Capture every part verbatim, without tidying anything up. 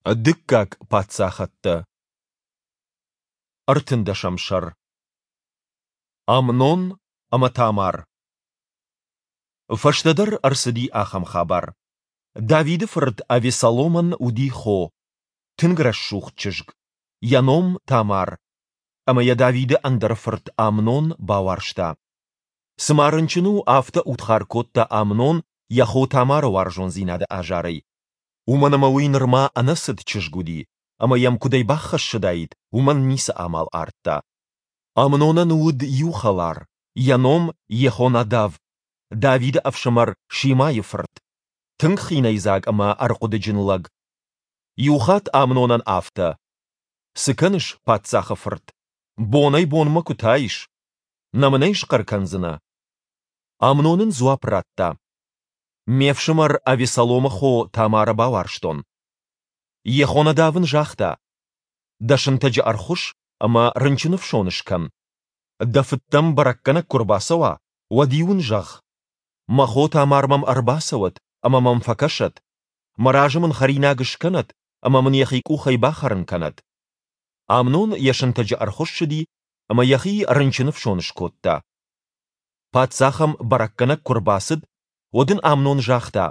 Дыккаг паддзахӕдтӕ. Ӕртындӕсӕм сӕр. Амнон ӕмӕ Тамар. Фӕстӕдӕр ӕрцыди ахӕм хабар. Давиды фырт Авессаломӕн уыди хо, тынг рӕсугъд чызг, йӕ ном Тамар. Ӕмӕ йӕ Давиды ӕндӕр фырт Амнон бауарзта. Цыма рынчын у, афтӕ удхар кодта Амнон йӕ хо Тамары уарзондзинады азарӕй. Уымӕн ӕмӕ уый нырма ӕнӕцыд чызг уыди, ӕмӕ йӕм куыдӕй баххӕссыдаид, уымӕн ницы амал ардта. Амнонӕн уыд иу хӕлар, йӕ ном Йехонадав, Давиды ӕфсымӕр Шимайы фырт, тынг хинӕйдзаг ӕмӕ ӕрхъуыдыджын лӕг. Иухатт Амнонӕн афтӕ: Цы кӕныс, паддзахы фырт? Бонӕй-бонмӕ куы таис. Нӕ мын ӕй схъӕр кӕндзынӕ? Амнон ын дзуапп радта: Ме фсымӕр Авессаломы хо Тамары бауарзтон. Йехонадав ын загъта: Дӕ сынтӕджы ӕрхуысс ӕмӕ рынчыны фсон скӕн. Дӕ фыд дӕм бӕрӕггӕнӕг куы ӕрбацӕуа, уӕд-иу ын зӕгъ: Мӕ хо Тамар мӕм ӕрбацӕуӕд ӕмӕ мӕм фӕкӕсӕд, мӕ разы мын хӕринаг скӕнӕд ӕмӕ мын йӕхи къухӕй бахӕрын кӕнӕд. Амнон йӕ сынтӕджы ӕрхуыссыди ӕмӕ йӕхи рынчыны фсон скодта. Паддзах ӕм бӕрӕггӕнӕг куы ӕрбацыд, уӕд ын Амнон загъта: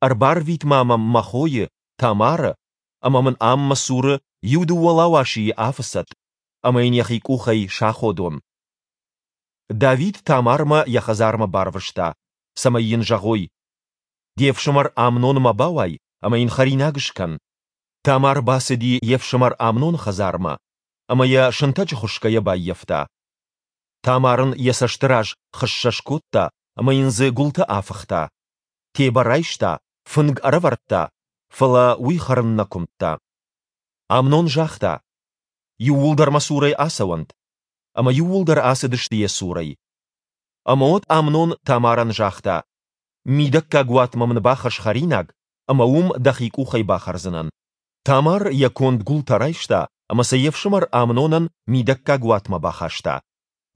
Ӕрбарвит-ма мӕм мӕ хойы, Тамары, ӕмӕ мын ам мӕ цуры иу-дыууӕ лауасийы афыцӕд, ӕмӕ йын йӕхи къухӕй саходон. Давид Тамармӕ йӕ хӕдзармӕ барвыста, цӕмӕй йын зӕгъой: Де фсымӕр Амнонмӕ бауай ӕмӕ йын хӕринаг скӕн. Тамар бацыди йе фсымӕр Амноны хӕдзармӕ ӕмӕ йӕ сынтӕджы хуысгӕйӕ баййӕфта. Тамар ын йӕ цӕсты раз хыссӕ скодта ӕмӕ йын дзы гуылтӕ афыхта. Тебӕ райста, фынг ӕрӕвӕрдта, фӕлӕ уый хӕрын нӕ куымдта. Амнон загъта: Иууылдӕр мӕ цурӕй ацӕуӕнт. Ӕмӕ иууылдӕр ацыдысты йӕ цурӕй. Ӕмӕ уӕд Амнон Тамарӕн загъта: Мидӕггаг уатмӕ мын бахӕсс хӕринаг, ӕмӕ уым дӕхи къухӕй бахӕрдзынӕн. Тамар йӕ конд гуылтӕ райста ӕмӕ сӕ йе фсымӕр Амнонӕн мидӕггаг уатмӕ бахаста.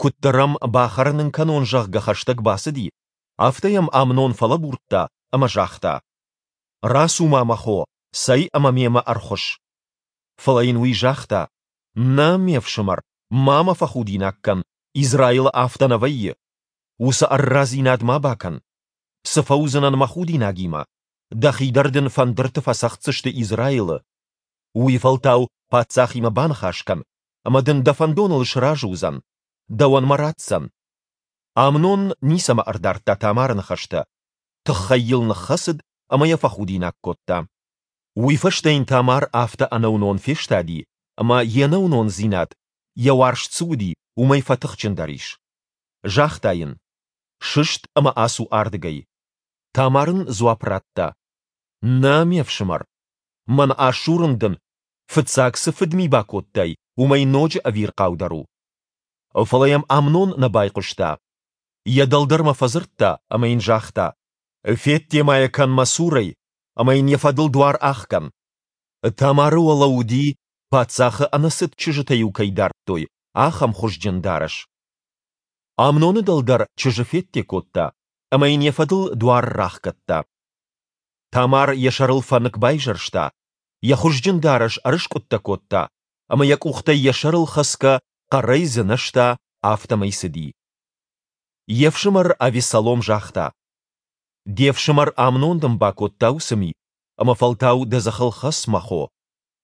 Куыддӕр ӕм, бахӕрын ын кӕнон, зӕгъгӕ, хӕстӕг бацыди, афтӕ йӕм Амнон фӕлӕбурдта ӕмӕ загъта: Рацу-ма, мӕ хо, цӕй ӕмӕ мемӕ ӕрхуысс. Фӕлӕ йын уый загъта: Нӕ, ме фсымӕр, ма мӕ фӕхудинаг кӕн, Израилы афтӕ нӕ вӕййы. Уыцы ӕррадзинад ма бакӕн. Цы фӕуыдзынӕн мӕ худинагимӕ? Дӕхи дӕр дын фӕндырты фӕцӕгъддзысты Израилы. Уый фӕлтау паддзахимӕ баныхас кӕн, ӕмӕ дын дӕ фӕндоныл сразы уыдзӕн, дӕуӕн мӕ ратдзӕн. Амнон ницӕмӕ ӕрдардта Тамары ныхӕстӕ, тыххӕй йыл ныххӕцыд ӕмӕ йӕ фӕхудинаг кодта. Уый фӕстӕ йын Тамар афтӕ ӕнӕуынон фестади, ӕмӕ йе нӕуынондзинад, йӕ уарзт цы уыди, уымӕй фӕтыхджындӕр ис. Загъта йын: Сыст ӕмӕ ацу ардыгӕй. Тамар ын дзуапп радта: Нӕ, ме фсымӕр, мӕн асурын дын, фыццаг цы фыдми бакодтай, уымӕй ноджы ӕвирхъаудӕр у. Фӕлӕ йӕм Амнон нӕ байхъуыста. Йӕ дӕлдӕрмӕ фӕдзырдта ӕмӕ йын загъта: Федде ма йӕ кӕн мӕ цурӕй ӕмӕ йын йӕ фӕдыл дуар ӕхгӕн. Тамары уӕлӕ уыди, паддзахы ӕнӕцыд чызджытӕ-иу кӕй дардтой, ахӕм хуызджын дарӕс. Амноны дӕлдӕр чызджы федде кодта ӕмӕ йын йӕ фӕдыл дуар рахгӕдта. Тамар йӕ сӕрыл фӕнык байзӕрста, йӕ хуызджын дарӕс ӕрыскъуыдтӕ кодта ӕмӕ йӕ къухтӕй йӕ сӕрыл хӕцгӕ хъӕрӕй дзынӕзта, афтӕмӕй цыди. Йе фсымӕр Авессалом загъта: Де фсымӕр Амнон дын бакодта уыцы ми, ӕмӕ фӕлтау дӕ дзыхыл хӕц, мӕ хо.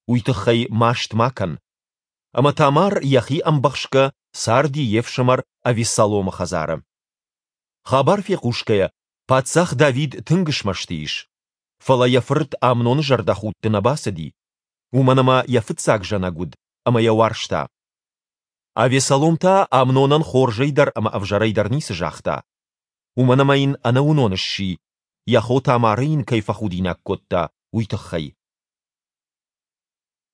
Уый тыххӕй маст ма кӕн. Ӕмӕ Тамар йӕхи ӕмбӕхсгӕ царди йе фсымӕр Авессаломы хӕдзары. Хабар фехъусгӕйӕ, паддзах Давид тынг смӕсты ис. Фӕлӕ йӕ фырт Амноны зӕрдӕхудты нӕ бацыди, уымӕн ӕмӕ йӕ фыццаг зӕнӕг уыд ӕмӕ йӕ уарзта. Авессалом та Амнонӕн хорзӕй дӕр ӕмӕ ӕвзӕрӕй дӕр ницы загъта, уымӕн ӕмӕ йын ӕнӕуынон сси, йӕ хо Тамары йын кӕй фӕхудинаг кодта, уый тыххӕй.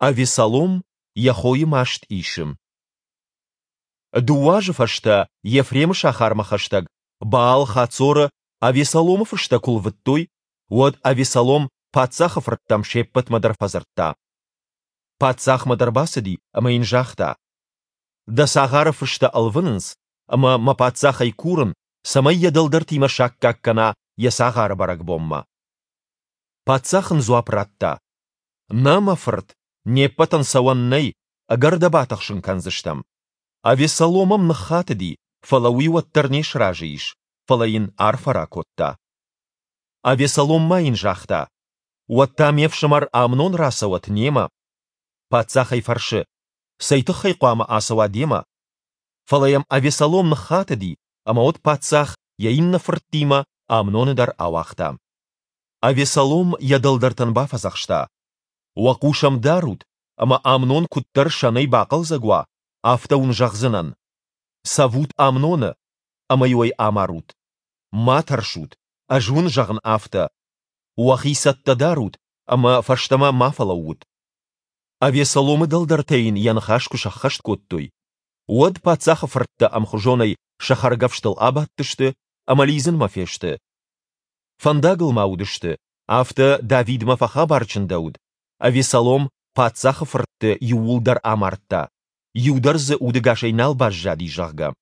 Авессалом йӕ хойы маст исы. Дыууӕ азы фӕстӕ Ефремы сахармӕ хӕстӕг Баал-Хацоры Авессаломы фыстӕ куы лвыдтой, уӕд Авессалом паддзахы фырттӕм се ппӕтмӕ дӕр фӕдзырдта. Паддзахмӕ дӕр бацыди ӕмӕ йын загъта: Дӕ цагъары фыстӕ ӕлвынынц, ӕмӕ мӕ паддзахӕй курын, цӕмӕй йӕ дӕлдӕртимӕ саккаг кӕна йӕ цагъары бӕрӕгбонмӕ. Паддзах ын дзуапп радта: Нӕ, мӕ фырт, не ппӕтӕн цӕуӕн нӕй, ӕгӕр дӕ батыхсын кӕндзыстӕм. Авессалом ӕм ныххатыди, фӕлӕ уый уӕддӕр не сразы ис, фӕлӕ йын арфӕ ракодта. Авессалом ма йын загъта, Уӕд та ме фсымӕр Амнон рацӕуӕд немӕ. Паддзах ӕй фӕрсы, Цӕй тыххӕй хъуамӕ ацӕуа демӕ? Фӕлӕ йӕм Авессалом ныххатыди, ӕмӕ уӕд паддзах йӕ иннӕ фырттимӕ Амноны дӕр ауагъта. Авессалом йӕ дӕлдӕртӕн бафӕдзӕхста, Уӕ хъус ӕм дарут, ӕмӕ Амнон куыддӕр сӕнӕй бахъӕлдзӕг уа, афтӕ уын зӕгъдзынӕн: Цӕвут Амноны, ӕмӕ-иу ӕй амарут. Ма тӕрсут, ӕз уын зӕгъын афтӕ. Уӕхи цӕттӕ дарут ӕмӕ фӕстӕмӕ ма фӕлӕуут. Авессаломы дӕлдӕртӕ йын йӕ ныхас куы сӕххӕст кодтой, уӕд паддзахы фырттӕ ӕмхуызонӕй сӕ хӕргӕфстыл абадтысты ӕмӕ лидзынмӕ фесты. Фӕндагыл ма уыдысты, афтӕ Давидмӕ фӕхабар чындӕуыд, Авессалом паддзахы фыртты иууылдӕр амардта, иу дӕр дзы удӕгасӕй нал баззади, зӕгъгӕ.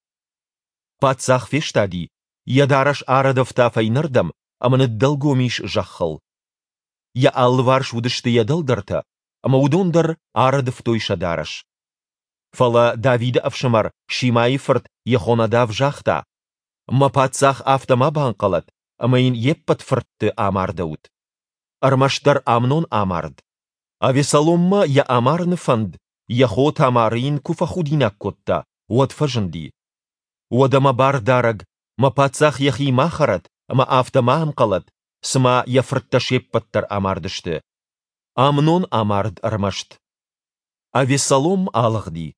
Паддзах фестади, йӕ дарӕс арӕдывта фӕйнӕрдӕм ӕмӕ ныддӕлгом ис зӕххыл. Йӕ алыварс уыдысты йӕ дӕлдӕртӕ, ӕмӕ уыдон дӕр арӕдывтой сӕ дарӕс. Фӕлӕ Давиды ӕфсымӕр Шимайы фырт Йехонадав загъта, Мӕ паддзах афтӕ ма банхъӕлӕд, ӕмӕ йын йе ппӕт фыртты амардӕуыд. Ӕрмӕстдӕр Амнон амард. Авессаломмӕ йӕ амарыны фӕнд, йӕ хо Тамары йын куы фӕхудинаг кодта, уӕд фӕзынди. Уӕдӕ мӕ бардарӕг, мӕ паддзах йӕхи ма хӕрӕд ӕмӕ афтӕ ма ӕнхъӕлӕд, цыма йӕ фырттӕ се ппӕт дӕр амардысты. Амнон амард ӕрмӕст. Авессалом алыгъди.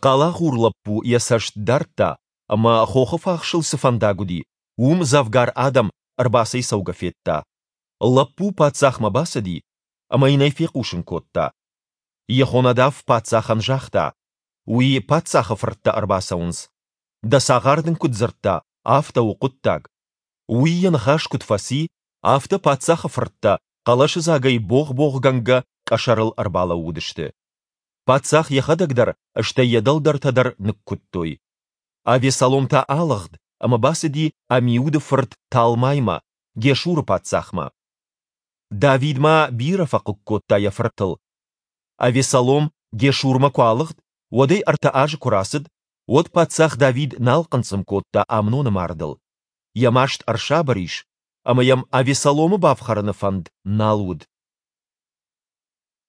Хъалагъур лӕппу йӕ цӕст дардта, ӕмӕ, хохы фахсыл цы фӕндаг уыди, уым дзӕвгар адӕм ӕрбацӕйцӕугӕ федта. Лӕппу паддзахмӕ бацыди ӕмӕ йын ӕй фехъусын кодта. Йехонадав паддзахӕн загъта, Уый паддзахы фырттӕ ӕрбацӕуынц. Дӕ цагъар дын куыд дзырдта, афтӕ у хъуыддаг. Уый йӕ ныхас куыд фӕци, афтӕ паддзахы фырттӕ хъӕлӕсыдзагӕй богъ-богъгӕнгӕ къӕсӕрыл ӕрбалӕууыдысты. Паддзах йӕхӕдӕг дӕр, стӕй йӕ дӕлдӕртӕ дӕр ныккуыдтой. Авессалом та алыгъд ӕмӕ бацыди Амиуды фырт Талмаймӕ, Гешуры паддзахмӕ. Давид ма бирӕ фӕхъыг кодта йӕ фыртыл. Авессалом Гешурмӕ куы алыгъд, уӕдӕй ӕртӕ азы куы рацыд, уӕд паддзах Давид нал хъынцъым кодта Амноны мардыл. Йӕ маст ӕрсабыр ис, ӕмӕ йӕм Авессаломы бафхӕрыны фӕнд нал уыд.